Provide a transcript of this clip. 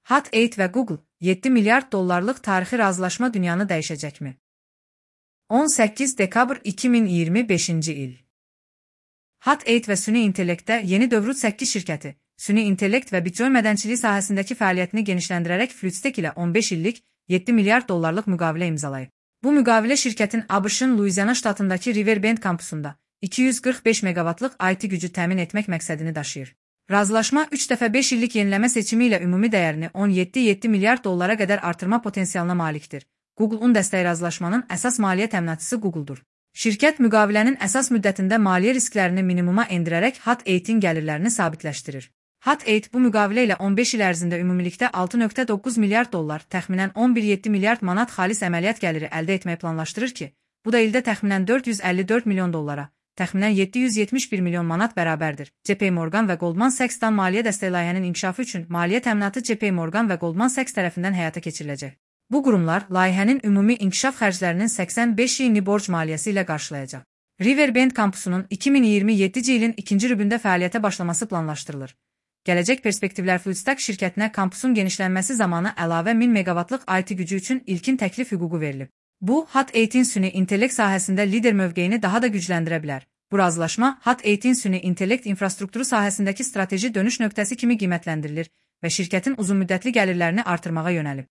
Hut-8 və Google 7 milyard dollarlıq tarixi razılaşma dünyanı dəyişəcəkmi? 18 dekabr 2025-ci il. Hut-8 və süni intellektdə yeni dövrün 8 şirkəti, süni intellekt və Bitcoin mədənçiliyi sahəsindəki fəaliyyətini genişləndirərək Fluidstack ilə 15 illik 7 milyard dollarlıq müqavilə imzalayıb. Bu müqavilə şirkətin ABŞ-ın Luiziana ştatındakı Riverbend kampusunda 245 meqavatlıq IT gücü təmin etmək məqsədini daşıyır. Razılaşma 3 dəfə 5 illik yeniləmə seçimi ilə ümumi dəyərini 17,7 milyard dollara qədər artırma potensialına malikdir. Google-un dəstəyi razılaşmanın əsas maliyyə təminatçısı Google-dur. Şirkət müqavilənin əsas müddətində maliyyə risklərini minimuma endirərək Hut-8-in gəlirlərini sabitləşdirir. Hut-8 bu müqavilə ilə 15 il ərzində ümumilikdə 6,9 milyard dollar, təxminən 11,7 milyard manat xalis əməliyyat gəliri əldə etməyi planlaşdırır ki, bu da ildə təxminən 454 milyon dollara, təxminən 771 milyon manat bərabərdir. JP Morgan və Goldman Sachs-dan maliyyə dəstəyi layihənin inkişafı üçün maliyyə təminatı JP Morgan və Goldman Sachs tərəfindən həyata keçiriləcək. Bu qurumlar layihənin ümumi inkişaf xərclərinin 85%-ni borc maliyyəsi ilə qarşılayacaq. Riverbend kampusunun 2027-ci ilin ikinci rübündə fəaliyyətə başlaması planlaşdırılır. Gələcək perspektivlər Fluidstack şirkətinə kampusun genişlənməsi zamanı əlavə 1000 meqavatlıq IT gücü üçün ilkin təklif hüququ verilib. Bu, Hut-8-in süni intellekt sahəsində lider mövqeyini daha da gücləndirə bilər. Bu razılaşma Hut-8-in süni intellekt infrastrukturu sahəsindəki strateji dönüş nöqtəsi kimi qiymətləndirilir və şirkətin uzunmüddətli gəlirlərini artırmağa yönəlib.